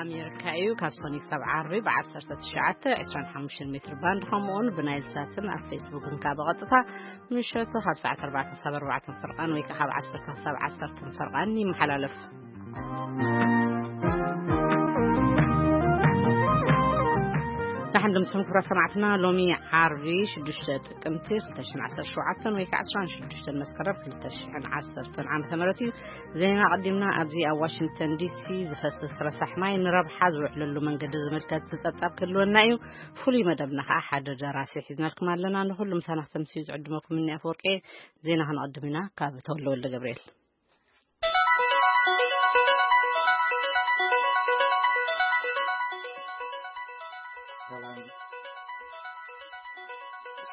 ኣሜሪካ እዩ። ካብ ሶኒክ ሳብ ዓርቢ ብ19 25 ሜትር ባንድ፣ ከምኡውን ብናይል ሳትን ኣብ ፌስቡክን ካብ ብቐጥታ ምሸቱ ካብ ሰዓት 4 ሳብ 4 ፍርቓን ወይ ከዓ ካብ 10 ሳብ 10 ፍርቓን ይመሓላለፍ። ንሓን ድምፅኹም ክብራ ሰማዕትና፣ ሎሚ ዓርቢ ሽዱሽተ ጥቅምቲ ክልተ ሽሕን ዓሰርተ ሸውዓተን ወይ ከዓ ዕስራን ሽዱሽተን መስከረም ክልተ ሽሕን ዓሰርተን ዓመተ ምህረት እዩ። ዜና ኣቐዲምና። ኣብዚ ኣብ ዋሽንግተን ዲሲ ዝፈስስ ረሳሕ ማይ ንረብሓ ዝውዕለሉ መንገዲ ዝምልከት ጸብጻብ ክህልወና እዩ። ፍሉይ መደብና ከዓ ሓደ ደራሲ ሒዝናልኩም ኣለና። ንኹሉ ምሳና ክተምስዩ ዝዕድመኩም እኒ ኣፈወርቂ። ዜና ክንቐድም ኢና ካብ ተወልደ ወልደ ገብርኤል።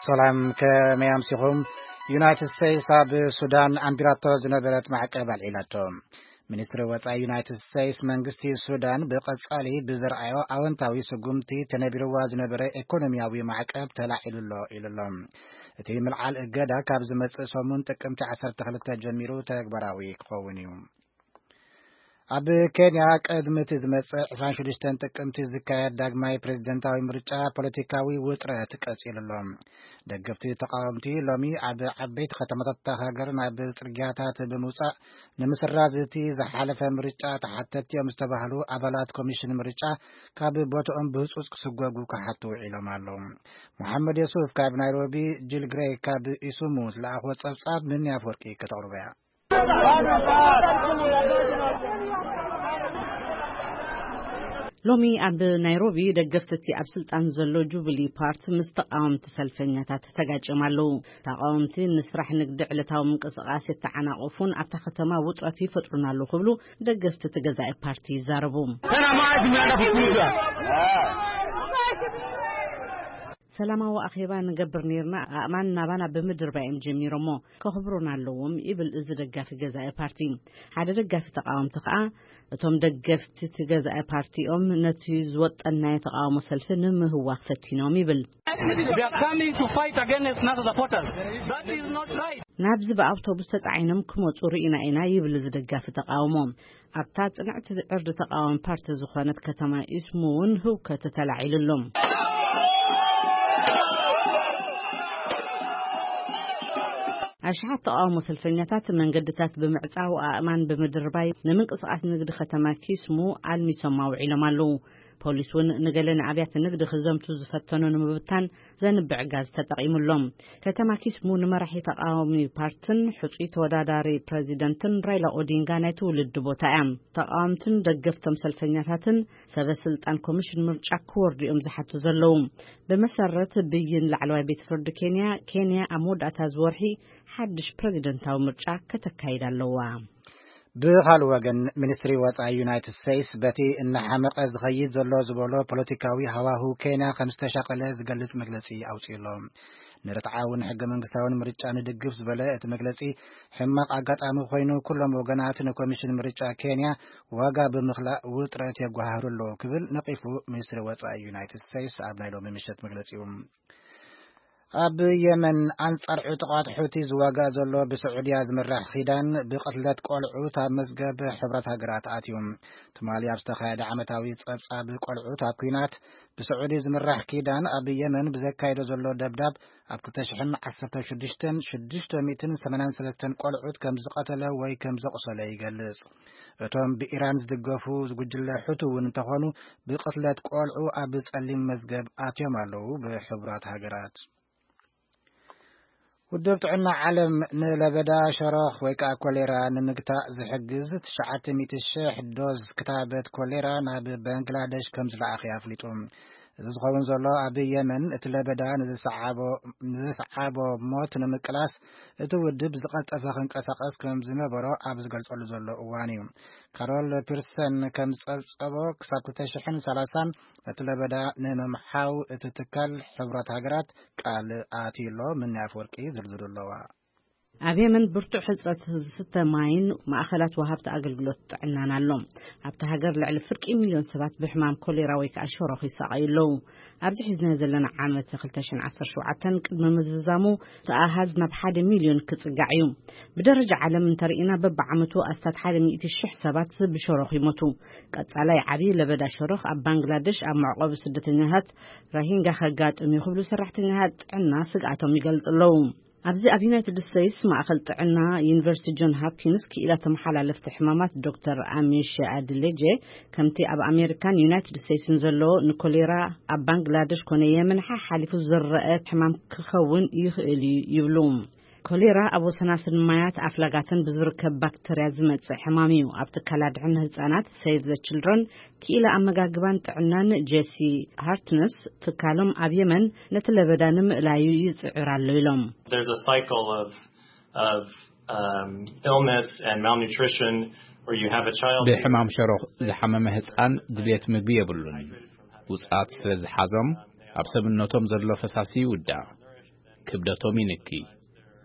ሰላም፣ ከመይ ኣምሲኹም? ዩናይትድ ስቴትስ ኣብ ሱዳን ኣንቢራቶ ዝነበረት ማዕቀብ ኣልዒላቶ። ሚኒስትሪ ወጻኢ ዩናይትድ ስቴትስ፣ መንግስቲ ሱዳን ብቐጻሊ ብዝረኣዮ ኣወንታዊ ስጉምቲ ተነቢርዋ ዝነበረ ኢኮኖሚያዊ ማዕቀብ ተላዒሉ ኣሎ ኢሉ ኣሎ። እቲ ምልዓል እገዳ ካብ ዝመጽእ ሰሙን ጥቅምቲ ዓሰርተ ክልተ ጀሚሩ ተግባራዊ ክኸውን እዩ። ኣብ ኬንያ ቅድሚ እቲ ዝመጽእ ዕስራን ሽዱሽተን ጥቅምቲ ዝካየድ ዳግማይ ፕሬዝደንታዊ ምርጫ ፖለቲካዊ ውጥረት ቀጺሉ ኣሎ። ደገፍቲ ተቃወምቲ ሎሚ ኣብ ዓበይቲ ከተማታት እታ ሃገር ናብ ጽርግያታት ብምውጻእ፣ ንምስራዝ እቲ ዝሓለፈ ምርጫ ተሓተትቲ እዮም ዝተባህሉ ኣባላት ኮሚሽን ምርጫ ካብ ቦትኦም ብህጹጽ ክስጎጉ ክሓቱ ውዒሎም ኣለዉ። መሓመድ የሱፍ ካብ ናይሮቢ፣ ጂል ግሬይ ካብ ኢሱሙ ዝለኣኽዎ ጸብጻብ ምን ኣፈወርቂ ከተቕርቦ እያ። ሎሚ ኣብ ናይሮቢ ደገፍቲ እቲ ኣብ ስልጣን ዘሎ ጁብሊ ፓርቲ ምስ ተቃወምቲ ሰልፈኛታት ተጋጭዮም ኣለዉ። ተቃወምቲ ንስራሕ ንግዲ ዕለታዊ ምንቅስቃስ የተዓናቕፉን ኣብታ ከተማ ውጥረት ይፈጥሩን ኣለዉ ክብሉ ደገፍቲ እቲ ገዛኢ ፓርቲ ይዛረቡ። ሰላማዊ ኣኼባ ንገብር ነርና፣ ኣእማን ናባና ብምድርባይ እዮም ጀሚሮሞ፣ ከኽብሩና ኣለዎም ይብል እዚ ደጋፊ ገዛኢ ፓርቲ። ሓደ ደጋፊ ተቃወምቲ ከኣ፣ እቶም ደገፍቲ እቲ ገዛኢ ፓርቲኦም ነቲ ዝወጠናዮ ተቃውሞ ሰልፊ ንምህዋኽ ፈቲኖም ይብል። They are coming to fight against NASA supporters. That is not right. ናብዚ ብኣውቶቡስ ተጻዒኖም ክመጹ ርኢና ኢና ይብል እዚ ደጋፊ ተቃውሞ። ኣብታ ጽንዕቲ ዕርዲ ተቃዋሚ ፓርቲ ዝኾነት ከተማ ኢስሙ እውን ህውከት ተላዒሉ ኣሎ። ኣሽሓት ተቃውሞ ሰልፈኛታት መንገድታት ብምዕጻው፣ ኣእማን ብምድርባይ ንምንቅስቃስ ንግዲ ከተማ ኪስሙ ኣልሚሶም ኣውዒሎም ኣለዉ። ፖሊስ እውን ንገለ ንኣብያተ ንግዲ ክዘምቱ ዝፈተኑ ንምብታን ዘንብዕ ጋዝ ተጠቒሙ ኣሎ። ከተማ ኪስሙ ንመራሒ ተቃዋሚ ፓርትን ሕጹይ ተወዳዳሪ ፕረዚደንትን ራይላ ኦዲንጋ ናይ ትውልዲ ቦታ እያ። ተቃወምትን ደገፍቶም ሰልፈኛታትን ሰበ ስልጣን ኮሚሽን ምርጫ ክወርዱ እዮም ዝሓቱ ዘለዉ። ብመሰረት ብይን ላዕለዋይ ቤት ፍርዲ ኬንያ፣ ኬንያ ኣብ መወዳእታ እዚ ወርሒ ሓድሽ ፕረዚደንታዊ ምርጫ ከተካይድ ኣለዋ። ብኻልእ ወገን፣ ሚኒስትሪ ወጻኢ ዩናይትድ ስቴትስ በቲ እናሓመቐ ዝኸይድ ዘሎ ዝበሎ ፖለቲካዊ ሃዋሁ ኬንያ ከም ዝተሻቐለ ዝገልጽ መግለጺ ኣውጺኡ ኣሎ። ንርትዓውን ሕገ መንግስታውን ምርጫ ንድግፍ ዝበለ እቲ መግለጺ፣ ሕማቕ ኣጋጣሚ ኮይኑ፣ ኩሎም ወገናት ንኮሚሽን ምርጫ ኬንያ ዋጋ ብምኽላእ ውጥረት የጓሃህሩ ኣለዉ ክብል ነቒፉ። ሚኒስትሪ ወጻኢ ዩናይትድ ስቴትስ ኣብ ናይ ሎሚ ምሸት መግለጺኡ፣ ኣብ የመን ኣንጻር ዕጡቓት ሑቲ ዝዋጋእ ዘሎ ብስዑድያ ዝምራሕ ኪዳን ብቕትለት ቆልዑት ኣብ መዝገብ ሕብረት ሃገራት ኣትዩ። ትማሊ ኣብ ዝተኻየደ ዓመታዊ ጸብጻብ ቆልዑት ኣብ ኲናት ብስዑዲ ዝምራሕ ኪዳን ኣብ የመን ብዘካየዶ ዘሎ ደብዳብ ኣብ ክልተ ሽሕን ዓሰርተ ሽዱሽተን ሽዱሽተ ሚእትን ሰማንያን ሰለስተን ቆልዑት ከም ዝቐተለ ወይ ከም ዘቑሰለ ይገልጽ። እቶም ብኢራን ዝድገፉ ጉጅለ ሑቲ እውን እንተኾኑ ብቕትለት ቆልዑ ኣብ ጸሊም መዝገብ ኣትዮም ኣለዉ ብሕቡራት ሃገራት። ውድብ ጥዕና ዓለም ንለበዳ ሸሮኽ ወይ ከዓ ኮሌራ ንምግታእ ዝሕግዝ ትሽዓተ ሚእቲ ሺሕ ዶዝ ክታበት ኮሌራ ናብ ባንግላደሽ ከም ዝለኣኸ ኣፍሊጡ። እዚ ዝኸውን ዘሎ ኣብ የመን እቲ ለበዳ ንዝሰዓቦ፣ ንዝሰዓቦ ሞት ንምቅላስ እቲ ውድብ ዝቐልጠፈ ክንቀሳቐስ ከም ዝነበሮ ኣብ ዝገልጸሉ ዘሎ እዋን እዩ። ካሮል ፒርሰን ከም ዝጸብጸቦ፣ ክሳብ ክልተ ሽሕን ሰላሳን ነቲ ለበዳ ንምምሓው እቲ ትካል ሕቡራት ሃገራት ቃል ኣትዩ ኣሎ። ምን ኣፈወርቂ ዝርዝሩ ኣለዋ። ኣብ የመን ብርቱዕ ሕጽረት ዝስተ ማይን ማእኸላት ወሃብቲ ኣገልግሎት ጥዕናን ኣሎ። ኣብታ ሃገር ልዕሊ ፍርቂ ሚልዮን ሰባት ብሕማም ኮሌራ ወይ ከዓ ሸሮኽ ይሳቐዩ ኣለዉ። ኣብዚ ሒዝናዮ ዘለና ዓመት ክልተ ሽሕን ዓሰርተ ሸውዓተን ቅድሚ ምዝዛሙ እቲ ኣሃዝ ናብ ሓደ ሚልዮን ክጽጋዕ እዩ። ብደረጃ ዓለም እንተርኢና በብዓመቱ ኣስታት ሓደ ሚእቲ ሽሕ ሰባት ብሸሮኽ ይሞቱ። ቀጻላይ ዓቢ ለበዳ ሸሮኽ ኣብ ባንግላደሽ ኣብ መዕቆቢ ስደተኛታት ራሂንጋ ከጋጥም እዩ ክብሉ ሰራሕተኛታት ጥዕና ስግኣቶም ይገልጹ ኣለዉ። ኣብዚ ኣብ ዩናይትድ ስቴትስ ማእኸል ጥዕና ዩኒቨርሲቲ ጆን ሃፕኪንስ ክኢላ ተመሓላለፍቲ ሕማማት ዶክተር ኣሚሽ ኣድሌጀ ከምቲ ኣብ ኣሜሪካን ዩናይትድ ስቴትስን ዘሎ ንኮሌራ ኣብ ባንግላደሽ ኮነ የመን ሓሓሊፉ ዝረአ ሕማም ክኸውን ይኽእል እዩ ይብሉ። ኮሌራ ኣብ ወሰናስን ማያት ኣፍላጋትን ብዝርከብ ባክተርያ ዝመጽእ ሕማም እዩ። ኣብ ትካል ኣድሕን ህጻናት ሴቭ ዘ ችልድረን ክኢላ ኣመጋግባን ጥዕናን ጄሲ ሃርትነስ ትካሎም ኣብ የመን ነቲ ለበዳ ንምእላዩ ይጽዕር ኣሎ ኢሎም። There's a cycle of of um, illness and malnutrition where you have a child. ብሕማም ሸሮኽ ዝሓመመ ህፃን ድልየት ምግቢ የብሉን። ውፅኣት ስለ ዝሓዞም ኣብ ሰብነቶም ዘሎ ፈሳሲ ይውዳእ፣ ክብደቶም ይንኪ።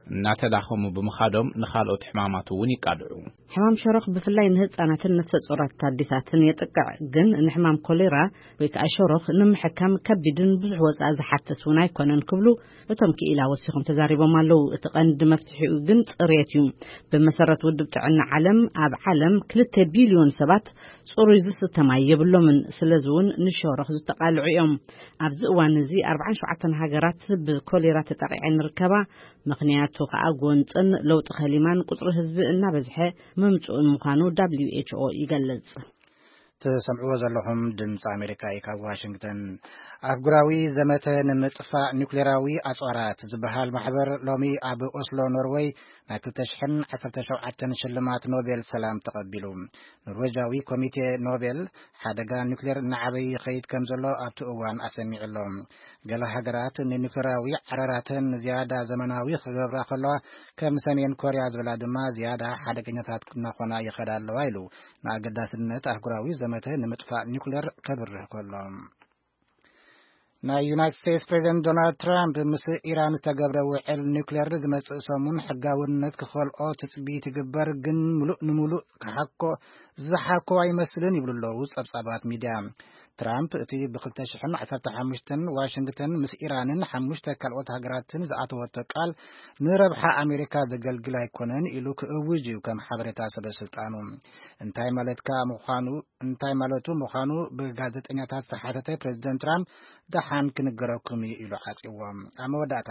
እናተዳኸሙ ብምኻዶም ንኻልኦት ሕማማት እውን ይቃልዑ። ሕማም ሸሮኽ ብፍላይ ንህፃናትን ነፍሰ ጾራት ኣዴታትን የጥቅዕ፣ ግን ንሕማም ኮሌራ ወይ ከዓ ሸሮኽ ንምሕካም ከቢድን ብዙሕ ወፃኢ ዝሓትት እውን ኣይኮነን ክብሉ እቶም ክኢላ ወሲኾም ተዛሪቦም ኣለዉ። እቲ ቀንዲ መፍትሒኡ ግን ፅሬት እዩ። ብመሰረት ውድብ ጥዕና ዓለም ኣብ ዓለም ክልተ ቢልዮን ሰባት ፅሩይ ዝስተ ማይ የብሎምን። ስለዚ እውን ንሸሮኽ ዝተቃልዑ እዮም። ኣብዚ እዋን እዚ ኣርባዓን ሸውዓተን ሃገራት ብኮሌራ ተጠቂዐን ይርከባ። ምኽንያቱ ከዓ ጎንፅን ለውጢ ከሊማን ቁፅሪ ህዝቢ እናበዝሐ ምምፅኡ ምዃኑ ደብሊው ኤች ኦ ይገልፅ። ትሰምዕዎ ዘለኹም ድምፂ ኣሜሪካ እዩ ካብ ዋሽንግተን። ኣህጉራዊ ዘመተ ንምጥፋእ ኒውክሌራዊ ኣፅዋራት ዝበሃል ማሕበር ሎሚ ኣብ ኦስሎ ኖርወይ ናይ ክልተ ሽሕን ዓሰርተ ሸውዓተን ሽልማት ኖቤል ሰላም ተቐቢሉ። ኖርዌጃዊ ኮሚቴ ኖቤል ሓደጋ ኒውክሌር እናዓበየ ይኸይድ ከም ዘሎ ኣብቲ እዋን ኣሰሚዑ ኣሎ። ገለ ሃገራት ንኒውክሌራዊ ዓረራተን ዝያዳ ዘመናዊ ክገብራ ከለዋ ከም ሰሜን ኮርያ ዝበላ ድማ ዝያዳ ሓደገኛታት እናኾና ይኸዳ ኣለዋ ኢሉ ንኣገዳስነት ኣህጉራዊ ዘመተ ንምጥፋእ ኒውክሌር ከብርህ ከሎ። ናይ ዩናይትድ ስቴትስ ፕሬዚደንት ዶናልድ ትራምፕ ምስ ኢራን ዝተገብረ ውዕል ኒውክሌር ዝመጽእ ሰሙን ሕጋውነት ክኸልኦ ትጽቢት ይግበር፣ ግን ምሉእ ንምሉእ ክሓኮ ዝሓኮ ኣይመስልን ይብሉ ኣለዉ ጸብጻባት ሚድያ። ትራምፕ እቲ ብ ክልተ ሽሕን ዓሰርተ ሓሙሽተን ዋሽንግተን ምስ ኢራንን ሓሙሽተ ካልኦት ሃገራትን ዝኣተወቶ ቃል ንረብሓ ኣሜሪካ ዘገልግል ኣይኮነን ኢሉ ክእውጅ እዩ ከም ሓበሬታ ሰበ ስልጣኑ። እንታይ ማለትካ ምዃኑ እንታይ ማለቱ ምዃኑ ብጋዜጠኛታት ዝተሓተተ ፕሬዚደንት ትራምፕ ደሓን ክንገረኩም እዩ ኢሉ ዓጺዎም። ኣብ መወዳእታ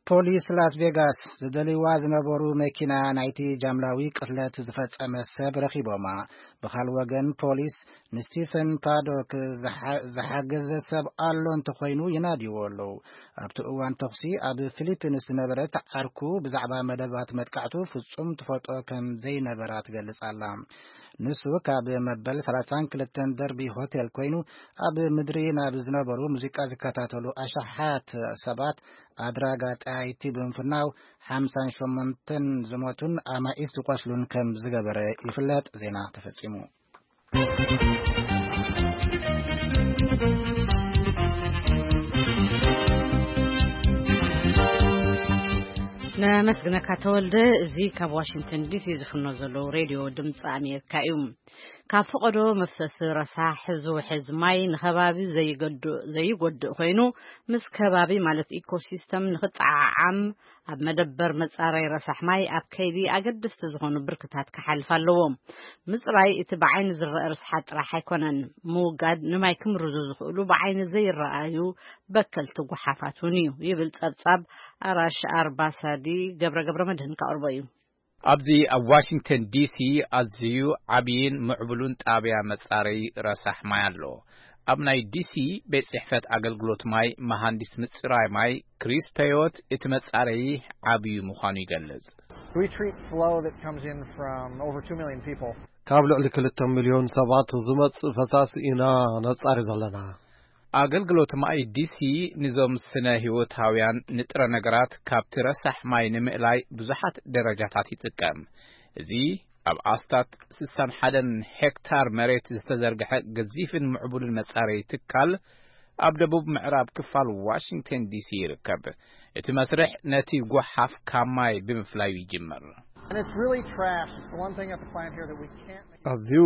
ፖሊስ ላስ ቬጋስ ዝደልይዋ ዝነበሩ መኪና ናይቲ ጃምላዊ ቅትለት ዝፈጸመ ሰብ ረኺቦማ። ብኻል ወገን ፖሊስ ንስቲፈን ፓዶክ ዝሓ- ዝሓገዘ ሰብ ኣሎ እንተኾይኑ ይናድይዎ ኣለዉ። ኣብቲ እዋን ተኹሲ ኣብ ፊሊፒንስ ዝነበረት ዓርኩ ብዛዕባ መደባት መጥቃዕቱ ፍጹም ትፈልጦ ከም ዘይነበራ ትገልጽ ኣላ። ንሱ ካብ መበል ሰላሳን ክልተን ደርቢ ሆቴል ኮይኑ ኣብ ምድሪ ናብ ዝነበሩ ሙዚቃ ዝከታተሉ ኣሽሓት ሰባት ኣድራጋ ጠያይቲ ብምፍናው ሓምሳን ሸሞንተን ዝሞቱን ኣማኢት ዝቆስሉን ከም ዝገበረ ይፍለጥ። ዜና ተፈጺሙ። ነመስግነካ ተወልደ። እዚ ካብ ዋሽንግተን ዲሲ ዝፍኖ ዘለዉ ሬድዮ ድምፂ ኣሜሪካ እዩ። ካብ ፈቐዶ መፍሰሲ ረሳሕ ዝውሕዝ ማይ ንከባቢ ዘይገድእ ዘይጎድእ ኮይኑ፣ ምስ ከባቢ ማለት ኢኮሲስተም ንክጠዓዓም ኣብ መደበር መጻረይ ረሳሕ ማይ ኣብ ከይዲ ኣገደስቲ ዝኾኑ ብርክታት ክሓልፍ ኣለዎ። ምጽራይ እቲ ብዓይኒ ዝረአ ርስሓት ጥራሕ ኣይኮነን። ምውጋድ ንማይ ክምርዙ ዝኽእሉ ብዓይኒ ዘይረኣዩ በከልቲ ጓሓፋት እውን እዩ ይብል ጸብጻብ ኣራሽ ኣርባሳዲ። ገብረ ገብረ መድህን ከቕርቦ እዩ። ኣብዚ ኣብ ዋሽንግተን ዲሲ ኣዝዩ ዓብይን ምዕቡሉን ጣብያ መጻረይ ረሳሕ ማይ ኣሎ። ኣብ ናይ ዲሲ ቤት ጽሕፈት ኣገልግሎት ማይ መሃንዲስ ምጽራይ ማይ ክሪስ ፔዮት እቲ መጻረይ ዓብዩ ምዃኑ ይገልጽ። We treat flow that comes in from over two million people. ካብ ልዕሊ ክልተ ሚልዮን ሰባት ዝመጽእ ፈሳሲ ኢና ነጻሪ ዘለና። ኣገልግሎት ማይ ዲሲ ንዞም ስነ ህይወታውያን ንጥረ ነገራት ካብቲ ረሳሕ ማይ ንምእላይ ብዙሓት ደረጃታት ይጥቀም። እዚ ኣብ ኣስታት ስሳን ሓደን ሄክታር መሬት ዝተዘርግሐ ገዚፍን ምዕቡልን መጻረይ ትካል ኣብ ደቡብ ምዕራብ ክፋል ዋሽንግተን ዲሲ ይርከብ። እቲ መስርሕ ነቲ ጓሓፍ ካብ ማይ ብምፍላዩ ይጅምር። And it's really trash. It's the one thing at the plant here that we can't make. ኣዝዩ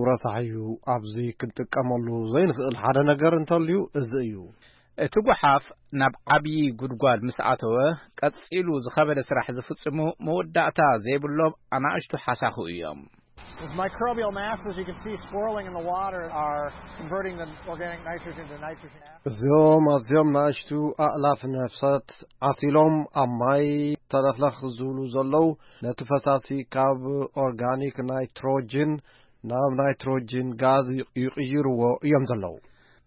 ረሳሕ እዩ። ኣብዚ ክንጥቀመሉ ዘይንኽእል ሓደ ነገር እንተልዩ እዚ እዩ። እቲ ጓሓፍ ናብ ዓብዪ ጉድጓድ ምስ ኣተወ፣ ቀጺሉ ዝኸበደ ስራሕ ዝፍጽሙ መወዳእታ ዘይብሎም ኣናእሽቱ ሓሳኹ እዮም። Those microbial masses you can see swirling in the water are converting the organic nitrogen to nitrogen acid. እዚኦም ኣዝዮም ንኣሽቱ ኣእላፍ ነፍሳት ዓሲሎም ኣብ ማይ ተለኽለኽ ዝብሉ ዘለዉ፣ ነቲ ፈሳሲ ካብ ኦርጋኒክ ናይትሮጅን ናብ ናይትሮጅን ጋዝ ይቕይርዎ እዮም ዘለዉ።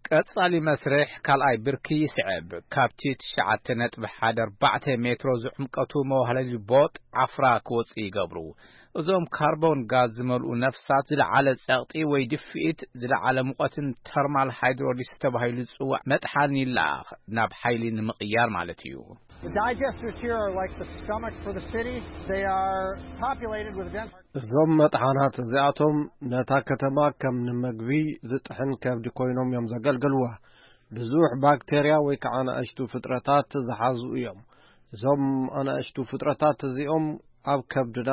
ቀጻሊ መስርሕ ካልኣይ ብርኪ ይስዕብ። ካብቲ ትሽዓተ ነጥቢ ሓደ ኣርባዕተ ሜትሮ ዝዕምቀቱ መዋህለሊ ቦጥ ዓፍራ ክወጽእ ይገብሩ። እዞም ካርቦን ጋዝ ዝመልኡ ነፍሳት ዝለዓለ ጸቕጢ ወይ ድፍኢት፣ ዝለዓለ ሙቐትን ተርማል ሃይድሮሊስ ተባሂሉ ዝጽዋዕ መጥሓን ይለኣኽ፣ ናብ ሓይሊ ንምቕያር ማለት እዩ። The digesters here are like the stomach for the city. They are populated with dense እዞም መጥሓናት እዚኣቶም ነታ ከተማ ከም ንመግቢ ዝጥሕን ከብዲ ኮይኖም እዮም ዘገልግልዋ። ብዙሕ ባክቴርያ ወይ ከዓ ንኣሽቱ ፍጥረታት ዝሓዙ እዮም። እዞም ኣናእሽቱ ፍጥረታት እዚኦም ኣብ ከብድና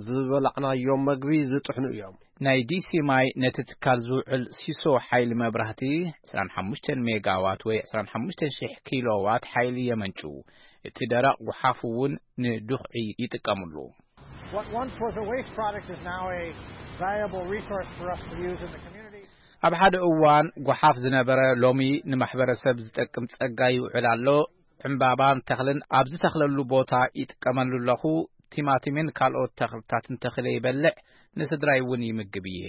ዝበላዕናዮም መግቢ ዝጥሕኑ እዮም። ናይ ዲሲ ማይ ነቲ ትካል ዝውዕል ሲሶ ሓይሊ መብራህቲ ዕስራን ሓሙሽተን ሜጋዋት ወይ ዕስራን ሓሙሽተን ሽሕ ኪሎዋት ሓይሊ የመንጩ። እቲ ደረቕ ጉሓፍ እውን ንዱኽዒ ይጥቀምሉ። What once was a waste product is now a valuable resource for us to use in the community. ኣብ ሓደ እዋን ጓሓፍ ዝነበረ ሎሚ ንማሕበረሰብ ዝጠቅም ጸጋ ይውዕል ኣሎ። ዕምባባን ተኽልን ኣብ ዝተኽለሉ ቦታ ይጥቀመሉ ኣለኹ። ቲማቲምን ካልኦት ተኽልታትን ተኽለ ይበልዕ፣ ንስድራይ እውን ይምግብ እየ።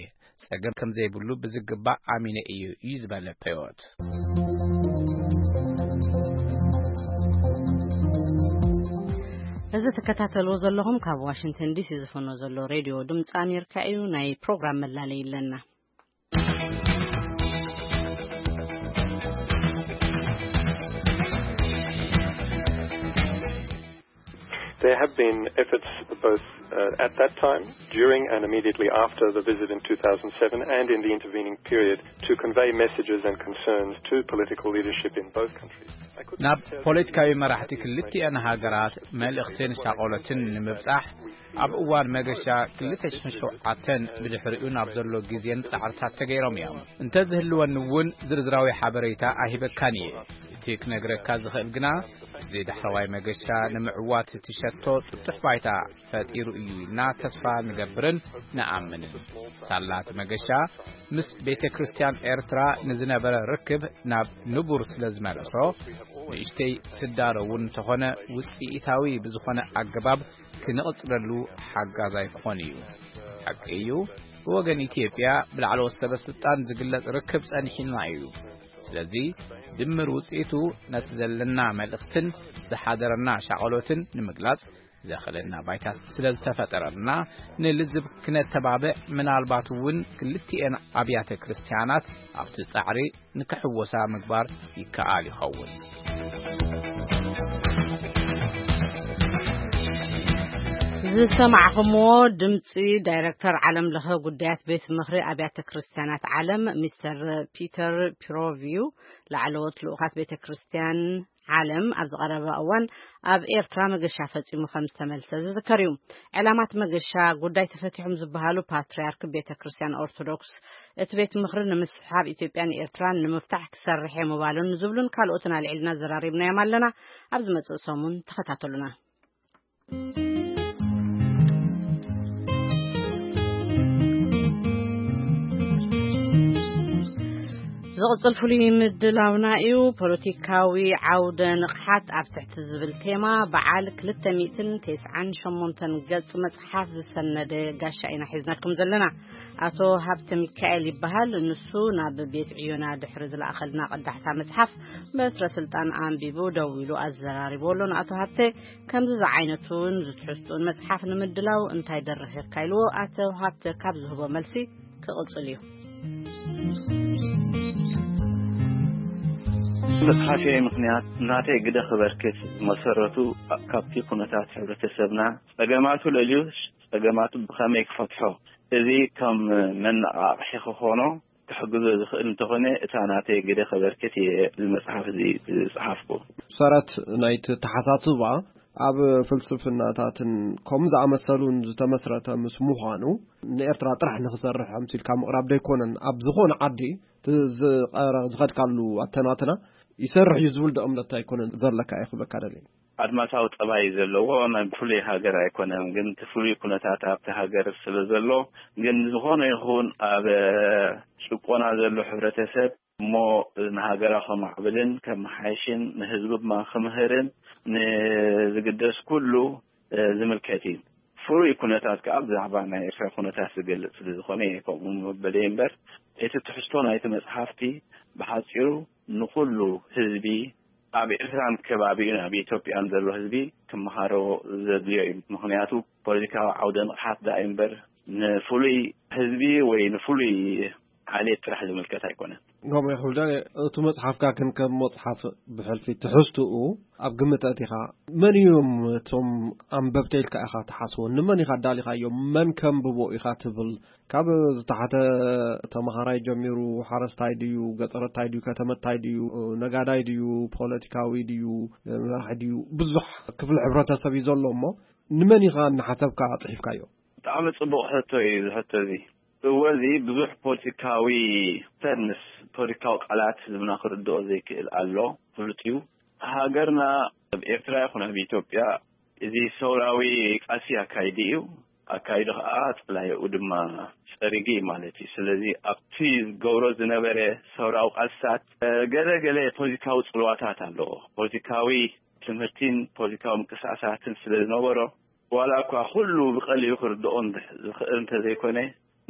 ጸገም ከም ዘይብሉ ብዝግባእ ኣሚነ እየ እዩ ዝበለ ፔዮት። እዚ ትከታተልዎ ዘለኹም ካብ ዋሽንግተን ዲሲ ዝፍኖ ዘሎ ሬድዮ ድምፂ ኣሜሪካ እዩ። ናይ ፕሮግራም መላለይ ኣለና። There have been efforts both uh, at that time, during and immediately after the visit in two thousand seven and in the intervening period to convey messages and concerns to political leadership in both countries. ናብ ፖለቲካዊ መራሕቲ ክልቲኣን ሃገራት መልእኽትን ሻቆሎትን ንምብጻሕ ኣብ እዋን መገሻ ክልተ ሽሕን ሸውዓተን ብድሕሪኡ ናብ ዘሎ ግዜን ጻዕርታት ተገይሮም እዮም። እንተዝህልወኒ እውን ዝርዝራዊ ሓበሬታ ኣይህበካን እየ። እቲ ክነግረካ ዝኽእል ግና፣ እዚ ዳሕረዋይ መገሻ ንምዕዋት እቲ ሸቶ ጥጡሕ ባይታ ፈጢሩ እዩ ኢልና ተስፋ ንገብርን ንኣምንን። ሳላ እቲ መገሻ ምስ ቤተ ክርስቲያን ኤርትራ ንዝነበረ ርክብ ናብ ንቡር ስለ ዝመለሶ፣ ንእሽተይ ስዳሮ እውን እንተኾነ ውጽኢታዊ ብዝኾነ ኣገባብ ክንቕጽለሉ ሓጋዛይ ክኾን እዩ። ሓቂ እዩ፣ ብወገን ኢትዮጵያ ብላዕለዎት ሰበ ስልጣን ዝግለጽ ርክብ ጸኒሕና እዩ። ስለዚ ድምር ውጽኢቱ ነቲ ዘለና መልእኽትን ዝሓደረና ሻቐሎትን ንምግላጽ ዘኽእለና ባይታ ስለ ዝተፈጠረልና ንልዝብ ክነተባብዕ፣ ምናልባት እውን ክልቲኤን ኣብያተ ክርስቲያናት ኣብቲ ጻዕሪ ንክሕወሳ ምግባር ይከኣል ይኸውን። ዝሰማዕኹምዎ ድምፂ ዳይረክተር ዓለም ለኸ ጉዳያት ቤት ምኽሪ ኣብያተ ክርስቲያናት ዓለም ሚስተር ፒተር ፒሮቪዩ ላዕለዎት ልኡኻት ቤተ ክርስቲያን ዓለም ኣብ ዝቐረበ እዋን ኣብ ኤርትራ መገሻ ፈጺሙ ከም ዝተመልሰ ዝዝከር እዩ። ዕላማት መገሻ ጉዳይ ተፈቲሖም ዝበሃሉ ፓትርያርክ ቤተ ክርስቲያን ኦርቶዶክስ እቲ ቤት ምኽሪ ንምስሓብ ኢትዮጵያን ኤርትራን ንምፍታሕ ክሰርሕ እየ ምባሉን ዝብሉን ካልኦትን ኣልዒልና ዘራሪብናዮም ኣለና። ኣብ ዝመጽእ ሰሙን ተኸታተሉና። ዝቕጽል ፍሉይ ምድላውና እዩ። ፖለቲካዊ ዓውደ ንቕሓት ኣብ ትሕቲ ዝብል ቴማ በዓል ክልተ ሚእትን ተስዓን ሸሞንተን ገጽ መጽሓፍ ዝሰነደ ጋሻ ኢና ሒዝናልኩም ዘለና። ኣቶ ሃብተ ሚካኤል ይበሃል። ንሱ ናብ ቤት ዕዮና ድሕሪ ዝለኣኸልና ቀዳሕታ መጽሓፍ በትረ ስልጣን ኣንቢቡ ደው ኢሉ ኣዘራሪቡ ኣሎ። ንኣቶ ሃብተ ከምዚ ዝዓይነቱን ዝትሕዝትኡን መጽሓፍ ንምድላው እንታይ ደረኺርካ ኢልዎ ኣቶ ሃብተ ካብ ዝህቦ መልሲ ክቕጽል እዩ። መጽሓፈይ ምኽንያት ናተይ ግደ ክበርክት መሰረቱ ካብቲ ኩነታት ሕብረተሰብና ጸገማቱ ለልዩ ጸገማቱ ብኸመይ ክፈትሖ እዚ ከም መነቓቕሒ ክኾኖ ክሕግዞ ዝኽእል እንተኾነ፣ እታ ናተይ ግደ ከበርክት እየ እዚ መጽሓፍ እዚ ዝጸሓፍኩ። ሰረት ናይቲ ተሓሳስባ ኣብ ፍልስፍናታትን ከም ዝኣመሰሉን ዝተመስረተ ምስ ምዃኑ፣ ንኤርትራ ጥራሕ ንኽሰርሕ ኣምሲልካ ምቕራብ ደይኮነን፣ ኣብ ዝኾነ ዓዲ እቲ ዝቐረ-፣ ዝኸድካሉ ኣተናትና ይሰርሕ እዩ ዝብል ዶ እምነት ኣይኮነን ዘለካ ኢኹ በካ ደልየ? ኣድማሳዊ ጠባይ ዘለዎ ናይ ፍሉይ ሃገር ኣይኮነን፣ ግን እቲ ፍሉይ ኩነታት ኣብቲ ሃገር ስለ ዘሎ፣ ግን ዝኾነ ይኹን ኣብ ጭቆና ዘሎ ሕብረተሰብ እሞ ንሃገራ ከማዕብልን ከመሓይሽን ንህዝቢ ድማ ክምህርን ንዝግደስ ኩሉ ዝምልከት እዩ። ፍሉይ ኩነታት ከኣ ብዛዕባ ናይ ኤርትራ ኩነታት ዝገልጽ ስለ ዝኾነ እየ ከምኡ መበለይ እምበር፣ እቲ ትሕዝቶ ናይቲ መጽሓፍቲ ብሓጺሩ ንኹሉ ህዝቢ ኣብ ኤርትራን ከባቢኡን ኣብ ኢትዮጵያን ዘሎ ህዝቢ ክመሃሮ ዘድልዮ እዩ። ምኽንያቱ ፖለቲካዊ ዓውደ ንቕሓት ደኣ እምበር ንፍሉይ ህዝቢ ወይ ንፍሉይ ዓሌት ጥራሕ ዝምልከት ኣይኮነን። ከምኡ ይኹን ዶ፣ እቲ መጽሓፍካ ግን ከም መጽሓፍ ብሕልፊ ትሕዝትኡ ኣብ ግምት ኣእቲኻ፣ መን እዮም እቶም ኣንበብቲ ኢልካ ኢኻ ትሓስቦ? ንመን ኢኻ ኣዳሊኻዮም? መን ከንብቦ ኢኻ ትብል? ካብ ዝተሓተ ተመሃራይ ጀሚሩ፣ ሓረስታይ ድዩ፣ ገጸረታይ ድዩ፣ ከተመታይ ድዩ፣ ነጋዳይ ድዩ፣ ፖለቲካዊ ድዩ፣ መራሒ ድዩ፣ ብዙሕ ክፍሊ ሕብረተሰብ እዩ ዘሎ እሞ፣ ንመን ኢኻ እናሓሰብካ ጽሒፍካዮ? ብጣዕሚ ጽቡቕ ሕቶ እዩ እዚ ሕቶ እዚ። እወ፣ እዚ ብዙሕ ፖለቲካዊ ሰብ ምስ ፖለቲካዊ ቃላት ህዝብና ክርድኦ ዘይክእል ኣሎ፣ ፍሉጥ እዩ። ሃገርና ኣብ ኤርትራ ይኹን ኣብ ኢትዮጵያ እዚ ሰውራዊ ቃልሲ ኣካይዲ እዩ። ኣካይዱ ከኣ ጸላኢኡ ድማ ጸሪጉ እዩ ማለት እዩ። ስለዚ ኣብቲ ዝገብሮ ዝነበረ ሰውራዊ ቃልስታት፣ ገለ ገለ ፖለቲካዊ ጽልዋታት ኣለዎ። ፖለቲካዊ ትምህርቲን ፖለቲካዊ ምንቅስቃሳትን ስለ ዝነበሮ፣ ዋላ እኳ ኩሉ ብቐሊሉ ክርድኦ እንተ-፣ ዝኽእል እንተዘይኮነ፣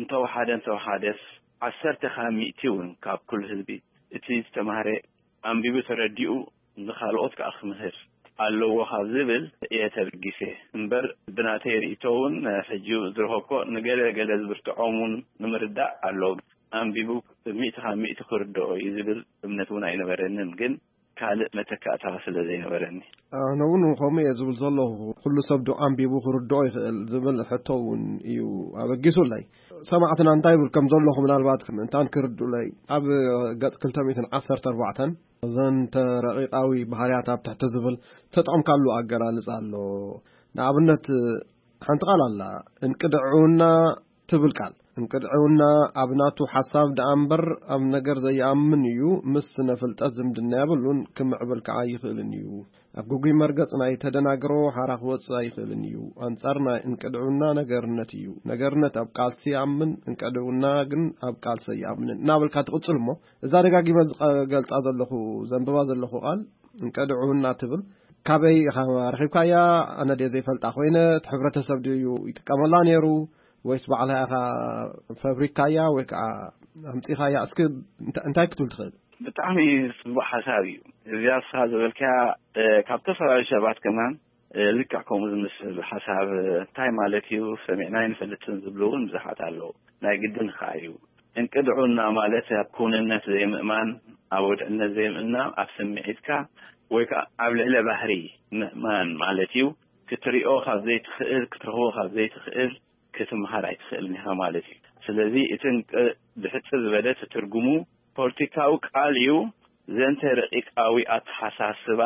እንተወሓደ እንተወሓደስ ዓሰርተ ካብ ሚእቲ እውን ካብ ኩሉ ህዝቢ እቲ ዝተማህረ ኣንቢቡ ተረዲኡ ንኻልኦት ከኣ ክምህር ኣለዎ ካብ ዝብል እየ ተበጊሰ እምበር፣ ብናተይ ርእይቶ እውን ሕጂ ዝረኸብኮ ንገለ ገለ ዝብርትዖም እውን ንምርዳእ ኣሎ። ኣንቢቡ ሚእቲ ካብ ሚእቲ ክርድኦ እዩ ዝብል እምነት እውን ኣይነበረንን፣ ግን ካልእ መተካእታ ስለ ዘይነበረኒ። ኣነ እውን ከምኡ እየ ዝብል ዘለኹ። ኩሉ ሰብ ዶ ኣንቢቡ ክርድኦ ይኽእል ዝብል ሕቶ እውን እዩ ኣበጊሱለይ። ሰማዕትና እንታይ ይብል ከም ዘለኹ ምናልባት እንታን ክርድኡለይ፣ ኣብ ገጽ ክልተ ሚእትን ዓሰርተ ኣርባዕተን ዘንተ ረቂቃዊ ባህርያት ኣብ ትሕቲ ዝብል ተጠቕምካሉ ኣገላልጻ ኣሎ። ንኣብነት ሓንቲ ቃል ኣላ፣ እንቅድዕውና ትብል ቃል። እንቅድዕውና ኣብ ናቱ ሓሳብ ደኣ እምበር ኣብ ነገር ዘይኣምን እዩ። ምስ ስነ ፍልጠት ዝምድና የብሉን፣ ክምዕብል ከኣ ይኽእልን እዩ። ኣብ ግጉይ መርገጽ ናይ ተደናግሮ ሓራ ክወጽእ ኣይኽእልን እዩ። ኣንጻር ናይ እንቅድዕውና ነገርነት እዩ። ነገርነት ኣብ ቃልሲ ይኣምን፣ እንቅድዕውና ግን ኣብ ቃልሲ ኣይኣምንን እናበልካ ትቕጽል እሞ፣ እዛ ደጋጊመ ዝቐ-፣ ገልጻ ዘለኹ፣ ዘንብባ ዘለኹ ቃል እንቅድዕውና ትብል፣ ካበይ ኢኻ ረኺብካያ? ኣነ ድየ ዘይፈልጣ ኮይነ? እቲ ሕብረተሰብ ድዩ ይጥቀመላ ነይሩ? ወይስ ባዕልኻ ኢኻ ፈብሪካያ ወይ ከዓ ኣምጺኻያ? እስኪ እንታ-፣ እንታይ ክትብል ትኽእል? ብጣዕሚ ጽቡቕ ሓሳብ እዩ። እዚኣ ንስኻ ዝበልካያ፣ እ፣ ካብ ዝተፈላለዩ ሰባት ከማን፣ እ፣ ልክዕ ከምኡ ዝመስል ሓሳብ፣ እ፣ እንታይ ማለት እዩ? ሰሚዕና ኣይንፈልጥን ዝብሉ እውን ብዙሓት ኣለዉ። ናይ ግድን ኸኣ እዩ። እንቅድዑና ማለት ኣብ ክውንነት ዘይምእማን፣ ኣብ ወድዕነት ዘይምእማን፣ ኣብ ስምዒትካ ወይ ከዓ ኣብ ልዕለ ባህሪ ምእማን ማለት እዩ። ክትሪኦ ካብ ዘይትኽእል፣ ክትረኽቦ ካብ ዘይትኽእል፣ ክትምሃር ኣይትኽእልን ኢኻ ማለት እዩ። ስለዚ እቲ እንቅ-፣ ብሕጽር ዝበለ ትርጉሙ ፖለቲካዊ ቃል እዩ። ዘንተ ረቂቃዊ ኣተሓሳስባ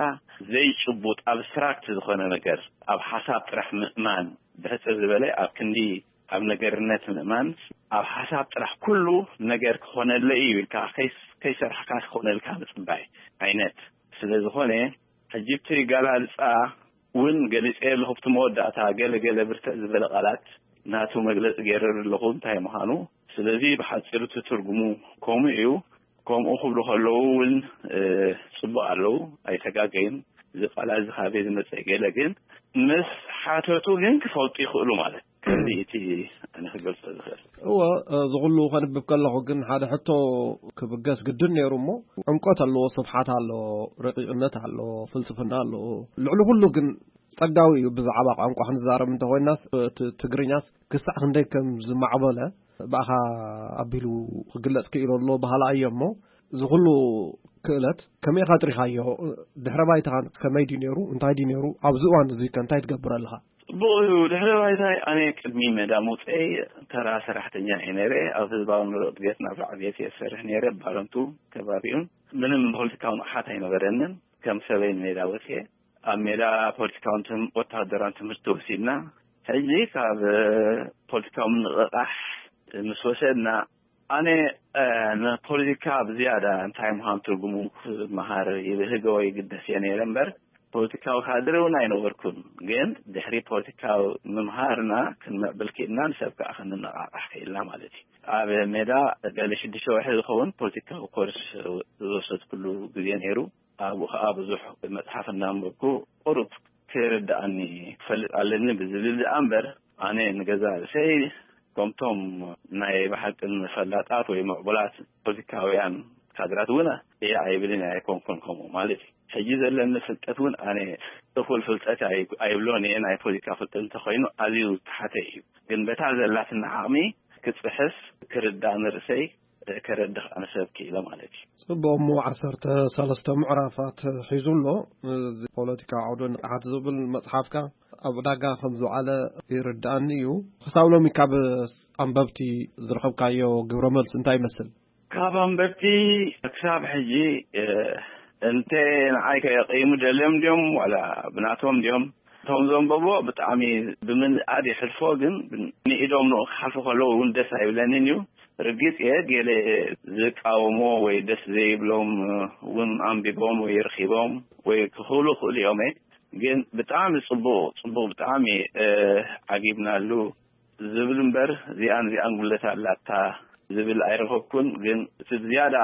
ዘይጭቡጥ ኣብስትራክት ዝኾነ ነገር ኣብ ሓሳብ ጥራሕ ምእማን፣ ብሕጽር ዝበለ ኣብ ክንዲ ኣብ ነገርነት ምእማን፣ ኣብ ሓሳብ ጥራሕ ኩሉ ነገር ክኾነለይ እዩ ኢልካ ከይስ-፣ ከይሰርሕካ ክኾነልካ ምጽባይ ዓይነት ስለ ዝኾነ፣ ሕጂ እቲ ኣገላልጻ እውን ገሊጸ ኣለኹ። ኣብቲ መወዳእታ ገለ ገለ ብርትዕ ዝበለ ቃላት ናቱ መግለጺ ገይረ ኣለኹ እንታይ ምዃኑ። ስለዚ ብሓጺሩ እቲ ትርጉሙ ከምኡ እዩ። ከምኡ ክብሉ ከለዉ እውን፣ እ፣ ጽቡቕ ኣለዉ፣ ኣይተጋገዩን። እዚ ቃላት እዚ ካበይ ዝመጸ ገለ ግን ምስ ሓተቱ ግን ክፈልጡ ይኽእሉ ማለት። ከምዚ እቲ ኣነ ክገልጾ ዝኽእል። እወ፣ እዚ ኩሉ ከንብብ ከለኹ ግን ሓደ ሕቶ ክብገስ ግድን ነይሩ እሞ፣ ዕምቆት ኣለዎ፣ ስፍሓት ኣለዎ፣ ረቂቕነት ኣለዎ፣ ፍልስፍና ኣለዎ። ልዕሊ ኩሉ ግን ጸጋዊ እዩ። ብዛዕባ ቋንቋ ክንዛረብ እንተኾይናስ፣ እቲ ትግርኛስ ክሳዕ ክንደይ ከም ዝማዕበለ ብኣኻ ኣቢሉ ክግለጽ ክኢሉ ኣሎ በሃላ እየ እሞ፣ እዚ ኩሉ ክእለት ከመይ ኢኻ ኣጥሪኻዮ? ድሕረ ባይታኻ ከመይ ድዩ ነይሩ? እንታይ ድዩ ነይሩ? ኣብዚ እዋን እዚ ከ እንታይ ትገብር ኣለኻ? ጽቡቕ እዩ። ድሕሪ ባይታይ ኣነ ቅድሚ ሜዳ ምውፀይ ተራ ሰራሕተኛ እየ ነይረ። ኣብ ህዝባዊ ኑሮ እድገት ናብ ራዕቤት እየ ዝሰርሕ ነይረ። ባረንቱ ከባቢኡን ምንም ፖለቲካዊ ንቕሓት ኣይነበረንን። ከም ሰበይ ንሜዳ ወፅየ ኣብ ሜዳ ፖለቲካውን ትም- ወታደራውን ትምህርቲ ወሲድና። ሕጂ ካብ ፖለቲካዊ ምንቕቓሕ ምስ ወሰድና ኣነ ንፖለቲካ ብዝያዳ እንታይ ምዃን ትርጉሙ ክመሃር ይብህገ ወይ ይግደስ እየ ነይረ እምበር ፖለቲካዊ ካድረ እውን ኣይነበርኩን። ግን ድሕሪ ፖለቲካዊ ምምሃርና ክንምዕብል ክኢልና ንሰብ ከዓ ክንነቓቓሕ ክኢልና ማለት እዩ። ኣብ ሜዳ ገለ ሽዱሽተ ወርሒ ዝኸውን ፖለቲካዊ ኮርስ ዝወሰድኩሉ ግዜ ነይሩ። ኣብኡ ከዓ ብዙሕ መፅሓፍ እናንበብኩ ቁሩብ ክርድኣኒ ክፈልጥ ኣለኒ ብዝብል ዝኣ እምበር ኣነ ንገዛ ርእሰይ ከምቶም ናይ ብሓቅን ፈላጣት ወይ ምዕቡላት ፖለቲካውያን ካድራት እውን እየ ኣይብልን ኣይኮንኩን። ከምኡ ማለት እዩ ሕጂ ዘለኒ ፍልጠት እውን ኣነ እኹል ፍልጠት ኣይ- ኣይብሎን እየ። ናይ ፖለቲካ ፍልጠት እንተኮይኑ ኣዝዩ ዝተሓተ እዩ። ግን በታ ዘላትና ዓቕሚ ክፅሕፍ ክርዳእ ንርእሰይ ከረድኽ ኣነ ሰብ ክኢለ ማለት እዩ። ጽቡቕ። እሞ ዓሰርተ ሰለስተ ምዕራፋት ሒዙ ኣሎ። እዚ ፖለቲካ ዓውደ ንቕሓት ዝብል መጽሓፍካ ኣብ ዕዳጋ ከም ዝውዓለ ይርድኣኒ እዩ። ክሳብ ሎሚ ካብ ኣንበብቲ ዝረኸብካዮ ግብረ መልሲ እንታይ ይመስል? ካብ ኣንበብቲ ክሳብ ሕጂ እንተ ንዓይ ከየቀይሙ ደልዮም ድዮም ዋላ ብናቶም ድዮም እቶም ዘንበቦ ብጣዕሚ ብምንኣድ ይሕልፎ። ግን ንኢዶም ንኡ ክሓልፉ ከለዉ እውን ደስ ኣይብለንን እዩ። ርግጽ እየ ገለ ዝቃወሞ ወይ ደስ ዘይብሎም እውን ኣንቢቦም ወይ ረኺቦም ወይ ክኽእሉ ክእሉ እዮም። ግን ብጣዕሚ ጽቡቕ ጽቡቕ ብጣዕሚ ዓጊብናሉ ዝብል እምበር እዚኣን እዚኣን ጉለት ኣላታ ዝብል ኣይረኸብኩን። ግን እቲ ዝያዳ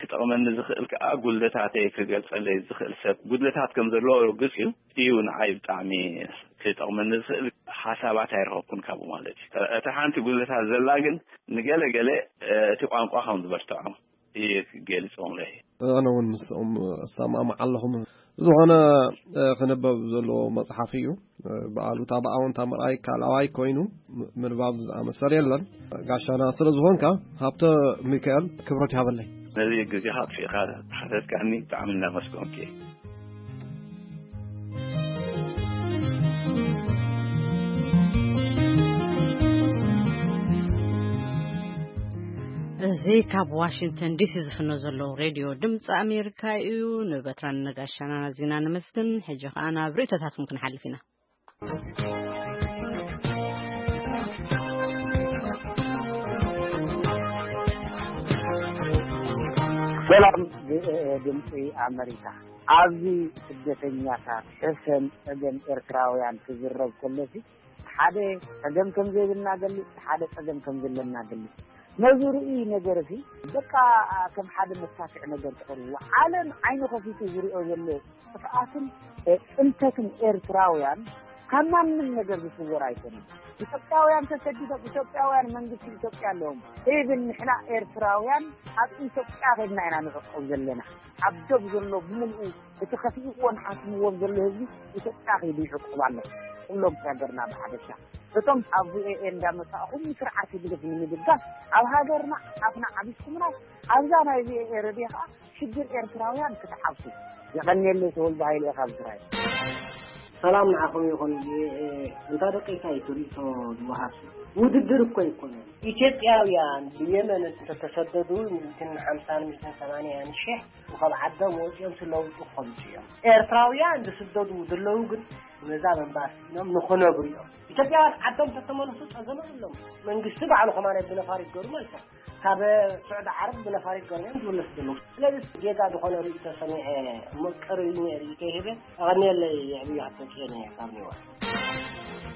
ክጠቕመኒ ዝኽእል ከዓ ጉድለታተይ ክገልጸለይ ዝኽእል ሰብ ጉድለታት ከም ዘለዎ ርግጽ እዩ። እዩ ንዓይ ብጣዕሚ ክጠቕመኒ ዝኽእል ሓሳባት ኣይረኸብኩን ካብኡ ማለት እዩ። እታ ሓንቲ ጉድለታት ዘላ ግን ንገለ ገለ እቲ ቋንቋ ከም ዝበርትዖ እየ ክገልጾም ለይ። ኣነ እውን ምስኦም እሰማማዕ ኣለኹ። ዝኾነ ክነበብ ዘለዎ መፅሓፍ እዩ። ብኣሉታ ብኣወንታ ምርኣይ ካልኣዋይ ኮይኑ ምንባብ ዝኣመሰል የለን። ጋሻና ስለ ዝኾንካ ሃብተ ሚካኤል ክብረት ይሃበለይ። ነዚ ግዜኻ ኣጥፊእካ ሓተትካኒ ብጣዕሚ እናመስገንኩ እየ። እዚ ካብ ዋሽንግተን ዲሲ ዝፍኖ ዘሎ ሬድዮ ድምፂ ኣሜሪካ እዩ። ንበትራን ነጋሻና ናዚና ነመስግን። ሕጂ ከዓ ናብ ርእቶታትኩም ክንሓልፍ ኢና። ሰላም ድምፂ ኣመሪካ። ኣብዚ ስደተኛታት ሕሰን ፀገም ኤርትራውያን ክዝረብ ከሎሲ ሓደ ፀገም ከም ዘይብልና ገልፅ፣ ሓደ ፀገም ከም ዘለና ገልፅ። ነዚ ርእይ ነገር ሲ በቃ ከም ሓደ መሳክዕ ነገር ትቐርብዎ። ዓለም ዓይኒ ከፊቱ ዝሪኦ ዘሎ ጥፍኣትን ፅንተትን ኤርትራውያን ካብ ማንም ነገር ዝስወር ኣይኮነን። ኢትዮጵያውያን ተሰዲዶም፣ ኢትዮጵያውያን መንግስቲ ኢትዮጵያ ኣለዎም። ኢቭን ንሕና ኤርትራውያን ኣብ ኢትዮጵያ ከድና ኢና ንዕቆብ ዘለና። ኣብ ዶብ ዘሎ ብምልኡ እቲ ከፊእዎን ሓስምዎን ዘሎ ህዝቢ ኢትዮጵያ ከይዱ ይዕቆብ ኣሎ። ኩሎም ተገርና ብሓደሻ እቶም ካብ ቪኦኤ እንዳመጻእኹም ንስርዓት ህግደፍ ንምድጋፍ ኣብ ሃገርና ኣፍና ዓቢስኩምና ኣብዛ ናይ ቪኦኤ ረድዮ ከዓ ሽግር ኤርትራውያን ክትሓብሱ። የቐንየለይ ተወልደ ሃይለ ኢኻ ብስራይ። ሰላም ንዓኹም ይኹን። እንታ ደቂቃ እዩ ትርኢቶ ዝወሃብ ውድድር እኮ ኣይኮነን። ኢትዮጵያውያን ብየመን እንተተሰደዱ ሚእትን ሓምሳን ሚእትን ሰማንያን ሽሕ ካብ ዓዶም ወፂኦም ስለውጡ ክኸምፁ እዮም። ኤርትራውያን ዝስደዱ ዘለዉ ግን ነዛ መንባር ስኢኖም ንኽነብሩ እዮም። ኢትዮጵያውያን ዓዶም ተተመልሱ ፀገም ኣለዎም። መንግስቲ ባዕሉ ከማን ብነፋሪት ገሩ መልሶም ካብ ስዑዲ ዓረብ ብነፋሪት ገሩ እዮም ዝምለሱ ዘለዉ። ስለዚ ጌጋ ዝኾነ ርእይቶ ሰሚዐ እሞ ቅሪ ርእይቶ ይህበ። ኣቐንየለይ የዕብዩ ሃብተፅዮን እየ ካብ ኒውዮርክ።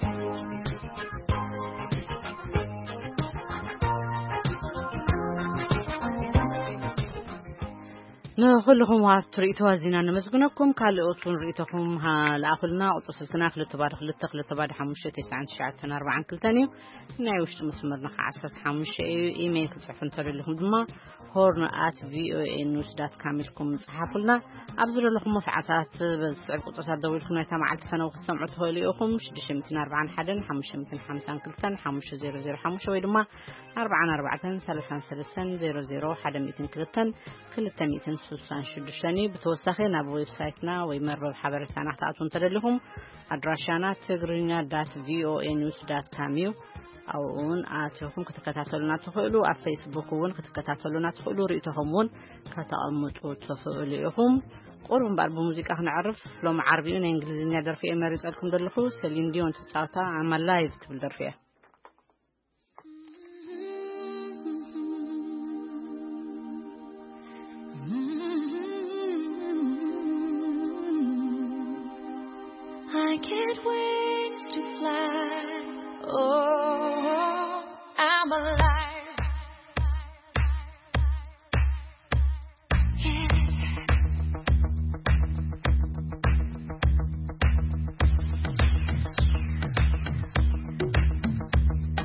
ንኹልኹም ወሃብቲ ርእይቶ ኣዚና ነመስግነኩም። ካልኦት እውን ርእይቶኹም ሃ- ለኣኹልና። ቁፅሪ ስልክና ክልተ ባዶ ክልተ ክልተ ባዶ ሓሙሽተ ተስዓን ትሽዓተን ኣርባዓን ክልተን እዩ። ናይ ውሽጢ መስመርና ከዓ ዓሰርተ ሓሙሽተ እዩ። ኢሜይል ክትፅሕፉ እንተደሊኹም ድማ ሆርን ኣት ቪኦኤ ኒውስ ዳት ካም ኢልኩም ፀሓፉልና። ኣብ ዝደለኹሞ ሰዓታት በዚ ዝስዕብ ቁፅርታት ደዊልኩም ናይታ መዓልቲ ፈነው ክትሰምዑ ትኽእሉ ኢኹም። ሽዱሽተ ሚእትን ኣርባዓን ሓደን ሓሙሽተ ሚእትን ሓምሳን ክልተን ሓሙሽተ ዜሮ ዜሮ ሓሙሽተ ወይ ድማ ኣርባዓን ኣርባዕተን ሰላሳን ሰለስተን ዜሮ ዜሮ ሓደ ሚእትን ክልተን ክልተ ሚእትን ስሳን ሽዱሽተን እዩ። ብተወሳኺ ናብ ዌብሳይትና ወይ መርበብ ሓበሬታና ክትኣትዉ እንተደሊኹም፣ ኣድራሻና ትግርኛ ዳት ቪኦኤ ኒውስ ዳት ካም እዩ። ኣብኡ እውን ኣቲኹም ክትከታተሉና ትኽእሉ። ኣብ ፌስቡክ እውን ክትከታተሉና ትኽእሉ። ርእይቶኹም እውን ከተቐምጡ ትኽእሉ ኢኹም። ቁሩብ እምበኣር ብሙዚቃ ክነዕርፍ። ሎሚ ዓርቢ እዩ። ናይ እንግሊዝኛ ደርፊ እየ መሪጸልኩም ዘለኹ። ሰሊን ዲዮን ትጻወታ ኣማ ላይቭ ትብል ደርፊ እያ። I get wings to fly. Oh, I'm alive.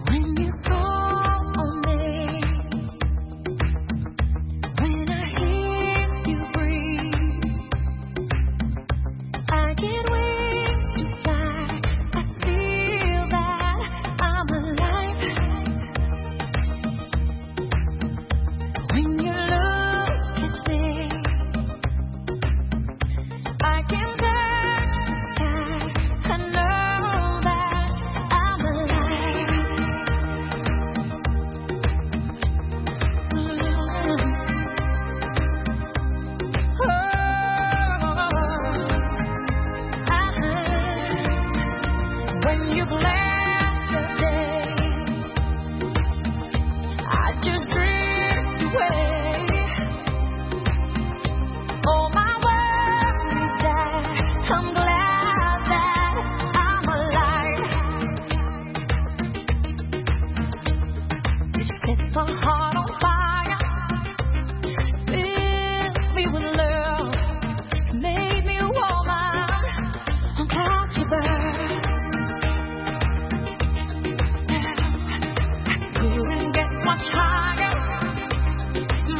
When you call on me, when I hear you breathe, I get wings to fly. I feel that I'm alive. When you look at me, I can touch the sky. I know that I'm alive. When you bless the day, I just drift away. All my worries die. I'm glad that I'm alive. You set my heart on fire. Fill me with love. Made me a woman. I'm glad you burn. Couldn't get much higher.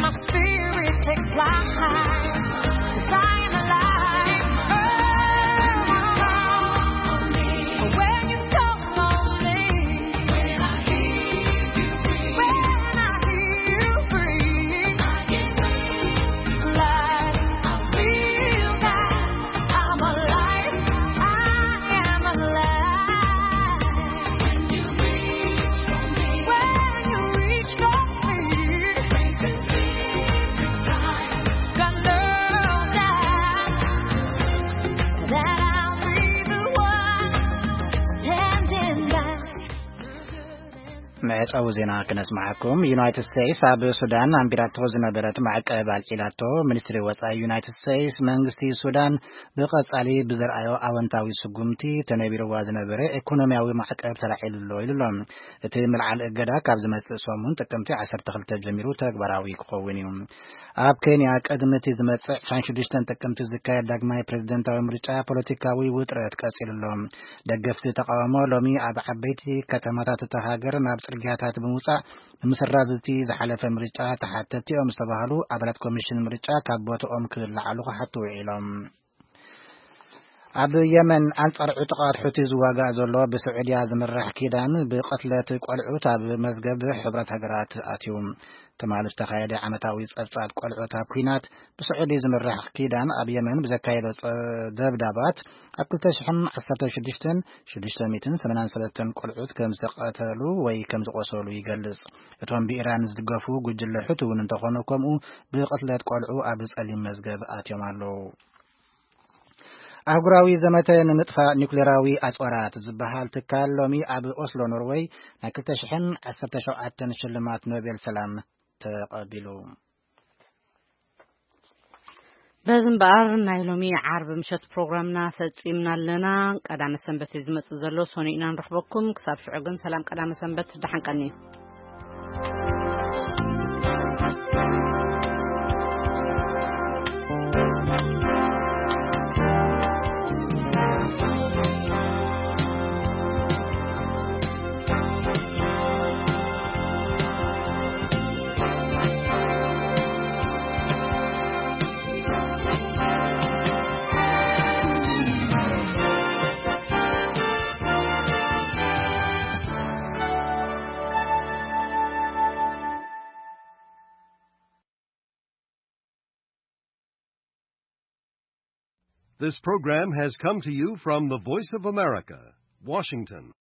My spirit takes flight. 'Cause I'm alive. Oh, when you call on me, when I hear you breathe, when I hear you breathe, I get wings to fly. I feel that I'm alive. I am alive. When you reach for me, when you reach for me, got no doubt that I'll be the one standing by. መዕጸዊ ዜና ክነስምዓኩም። ዩናይትድ ስቴትስ ኣብ ሱዳን ኣንቢራቶ ዝነበረት ማዕቀብ ኣልዒላቶ። ሚኒስትሪ ወጻኢ ዩናይትድ ስቴትስ፣ መንግስቲ ሱዳን ብቐጻሊ ብዘርኣዮ ኣወንታዊ ስጉምቲ ተነቢርዋ ዝነበረ ኢኮኖሚያዊ ማዕቀብ ተላዒሉ ኣሎ ኢሉ ኣሎ። እቲ ምልዓል እገዳ ካብ ዝመጽእ ሰሙን ጥቅምቲ ዓሰርተ ክልተ ጀሚሩ ተግባራዊ ክኸውን እዩ። ኣብ ኬንያ ቅድሚ እቲ ዝመጽእ ዕስራን ሽዱሽተን ጥቅምቲ ዝካየድ ዳግማይ ፕሬዝደንታዊ ምርጫ ፖለቲካዊ ውጥረት ቀጺሉ ኣሎ። ደገፍቲ ተቃውሞ ሎሚ ኣብ ዓበይቲ ከተማታት እታ ሃገር ናብ ጽርግያታት ብምውጻእ፣ ንምስራዝ እቲ ዝሓለፈ ምርጫ ተሓተትቲ እዮም ዝተባህሉ ኣባላት ኮሚሽን ምርጫ ካብ ቦትኦም ክለዓሉ ክሓቱ ውዒሎም። ኣብ የመን ኣንጻር ዕጡቓት ሑቲ ዝዋጋእ ዘሎ ብስዑድያ ዝምራሕ ኪዳን ብቕትለት ቆልዑት ኣብ መዝገብ ሕብረት ሃገራት ኣትዩ። ትማሊ ዝተኻየደ ዓመታዊ ጸብጻብ ቆልዑት ኣብ ኲናት ብስዑዲ ዝምራሕ ኪዳን ኣብ የመን ብዘካየዶ ጸ-፣ ደብዳባት ኣብ ክልተ ሽሕን ዓሰርተ ሽዱሽተን ሽዱሽተ ሚእትን ሰማንያን ሰለስተን ቆልዑት ከም ዝቐተሉ ወይ ከም ዝቖሰሉ ይገልጽ። እቶም ብኢራን ዝድገፉ ጉጅለ ሑቲ እውን እንተኾኑ ከምኡ ብቕትለት ቆልዑ ኣብ ጸሊም መዝገብ ኣትዮም ኣለዉ። ኣህጉራዊ ዘመተ ንምጥፋእ ኒውክሌራዊ ኣጽዋራት ዝበሃል ትካል ሎሚ ኣብ ኦስሎ ኖርወይ ናይ ክልተ ሽሕን ዓሰርተ ሸውዓተን ሽልማት ኖቤል ሰላም ተቐቢሉ። በዚ እምበኣር ናይ ሎሚ ዓርቢ ምሸት ፕሮግራምና ፈጺምና ኣለና። ቀዳመ ሰንበት እዩ ዝመጽእ ዘሎ፣ ሰኑይ ኢና ንረኽበኩም። ክሳብ ሽዑ ግን ሰላም ቀዳመ ሰንበት፣ ደሓን ቀንዩ። This program has come to you from the Voice of America, Washington.